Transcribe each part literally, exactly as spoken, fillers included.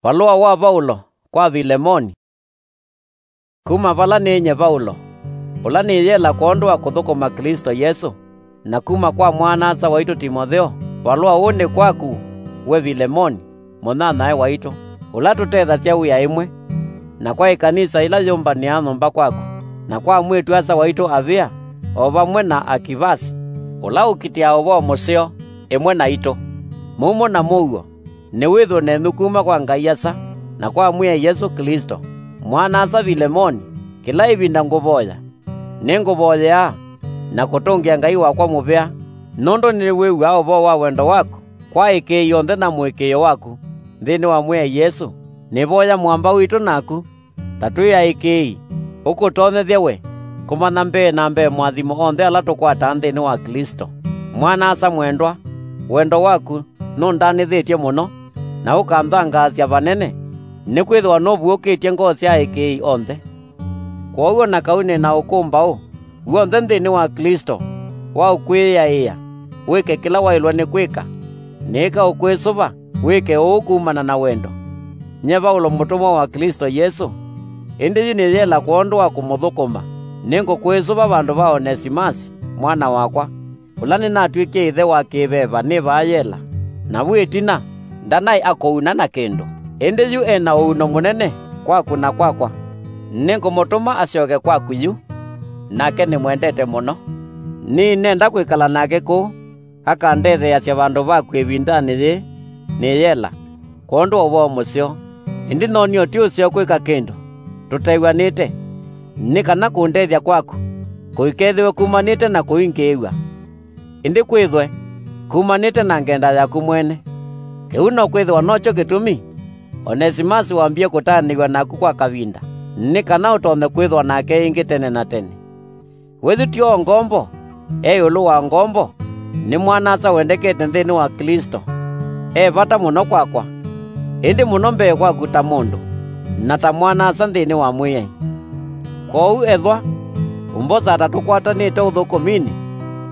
Valũa wa Vaulo kwa Vilemoni. Kuma vala nĩ nyie Vaulo, ũla nĩ yela kwondũ wa kũthũkũma Klĩsto Yesũ, na kuma kwa mwana-a-asa waitũ Timotheo, valũa ũũ nĩ kwaku, we Vilemoni, mũnyanyae waitũ, ũla tũtethasya wĩa ĩmwe, na kwa ĩkanisa ĩla yũmbanĩaa nyũmba kwaku, na kwa mwĩĩtu-a-asa waitũ Avĩa, o vamwe na Akivasi, ũla ũkitĩaa ũvoo mũseo ĩmwe naitũ. Mumo na mũuo, nĩwĩthwe nenyu kuma kwa Ngai Asa na kwa Mwĩai Yesũ Klĩsto. Mwana-a-asa Vilemoni, kĩla ĩvinda ngũvoya. Nĩngũvoyea na kũtũngĩa Ngai wakwa mũvea, nũndũ nĩwĩw'aa ũvoo wa wendo waku kwa ĩkĩĩi yonthe na mũĩkĩĩo waku nthĩnĩ wa Mwĩai Yesũ. Nĩvoya mũamba witũ naku, ta twĩ aĩkĩĩi, ũkũtonyethye we kũmanya mbee na mbee moathimo onthe ala tũkwataa nthĩnĩ wa Klĩsto. Mwana-a-asa mwendwa, wendo waku nũndanĩthĩtye mũno, na ũkanthangaasya vanene, nĩkwĩthĩwa nũvuũkĩtye ngoo sya aĩkĩĩi onthe. Kwoou o na kau nĩ na ũkũmbaũ w'onthe nthĩnĩ wa Klĩsto wa ũkwĩyaĩĩa, wĩke kĩla waĩlwe nĩ kwĩka. Nĩĩka ũkwĩsũva wĩke ũu kumana na wendo. Nyie Vaulo mũtũmwa wa Klĩsto Yesũ, ĩndĩ yu nĩ yela kwondũ wa kũmũthũkũma, nĩngũkwĩsũva vandũ va Onesimasi, mwana wakwa, ũla nĩnatw'ĩkie ĩthe wa kĩ-veva nĩ vaa yela, na vu ĩtina ndanaĩ akũuna na kĩndũ. Ĩndĩ yu e na ũuno mũnene kwaku na kwakwa. Nĩngũmũtũma asyoke kwaku yu, nake nĩmwendete mũno. Nĩnenda kwĩkala nake kũu, akandetheeasya vandũ vaku ĩvindanĩ yĩĩ nĩ yela, kwondũ wa ũvoo mũseo. Ĩndĩ no nĩ ũti ũseo kwĩka kĩndũ tũtew'anĩte, nĩ kana kũndethya kwaku kũikethĩwe kumanĩte na kũingĩĩw'a, ĩndĩ kwĩthwe kumanĩte na ngenda yaku mwene. Kĩu no kwĩthĩwa nokyo kĩtumi Onesimasi wambie kũtaanĩw'a naku kwa kavinda, nĩ kana ũtonye kwĩthwa nake ĩngĩ tene na tene. We yu ti o ngombo, e ĩũlũ wa ngombo, nĩ mwana-a-asa wendekete nthĩnĩ wa Klĩsto. E vata mũno kwakwa, ĩndĩ mũno mbee kwaku ta mũndũ, na ta mwana-a-asa nthĩnĩ wa Mwĩai. Kwoou ethwa ũmbosa ta tũkwatanĩte ũthũkũminĩ,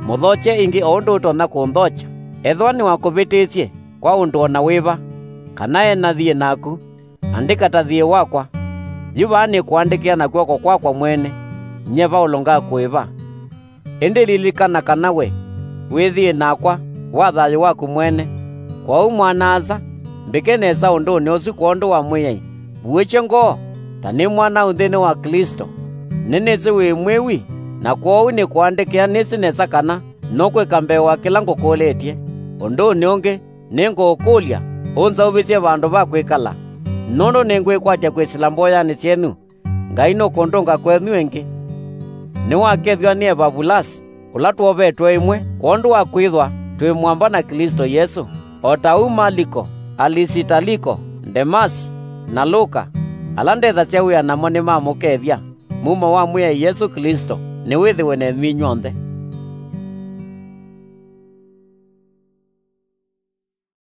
mũthokye ĩngĩ o ũndũ ũtonya kũnthokya. Ethwa nĩwakũvĩtĩsye kwa ũndũ o na wĩva, kana e na thiĩ naku, andĩka ta thiĩ wakwa. Yu vaa nĩkũandĩkĩa na kw'oko kwakwa mwene, nyie Vaulo ngakũĩva. Ĩndĩ lilikana kana we wĩ thiĩ nakwa wa thayũ waku mwene. Kwoou mwana-a-asa, mbĩke nesa ũndũnĩ ũsu kwondũ wa Mwĩai. Vuĩkye ngoo ta nĩ mwanaũ nthĩnĩ wa Klĩsto. Nĩnĩsĩ wĩ mwĩwi, na kwoou nĩkũandĩkĩa nĩsĩ nesa kana nũkwĩka mbee wa kĩla ngũkũlĩtye. Ũndũnĩ ũngĩ, nĩngũũkũlya ũnzaũvĩsye vandũ va kwĩkala, nũndũ nĩngwĩkwatya kwĩsĩla mboyanĩ syenyu. Ngai nũkũndũnga kwenyu ĩngĩ. Nĩwakethw'a nĩ Evavulasi, ũla twovetwe ĩmwe kwondũ wa kwĩthwa twĩ mũamba na Klĩsto Yesũ. O ta ũu Maliko, Alisitaliko, Ndemasi, na Luka, ala ndethasya wĩa namo nĩmamũkethya. Mumo wa Mwĩai Yesũ Klĩsto nĩwĩthĩwe nenyu inyw'onthe.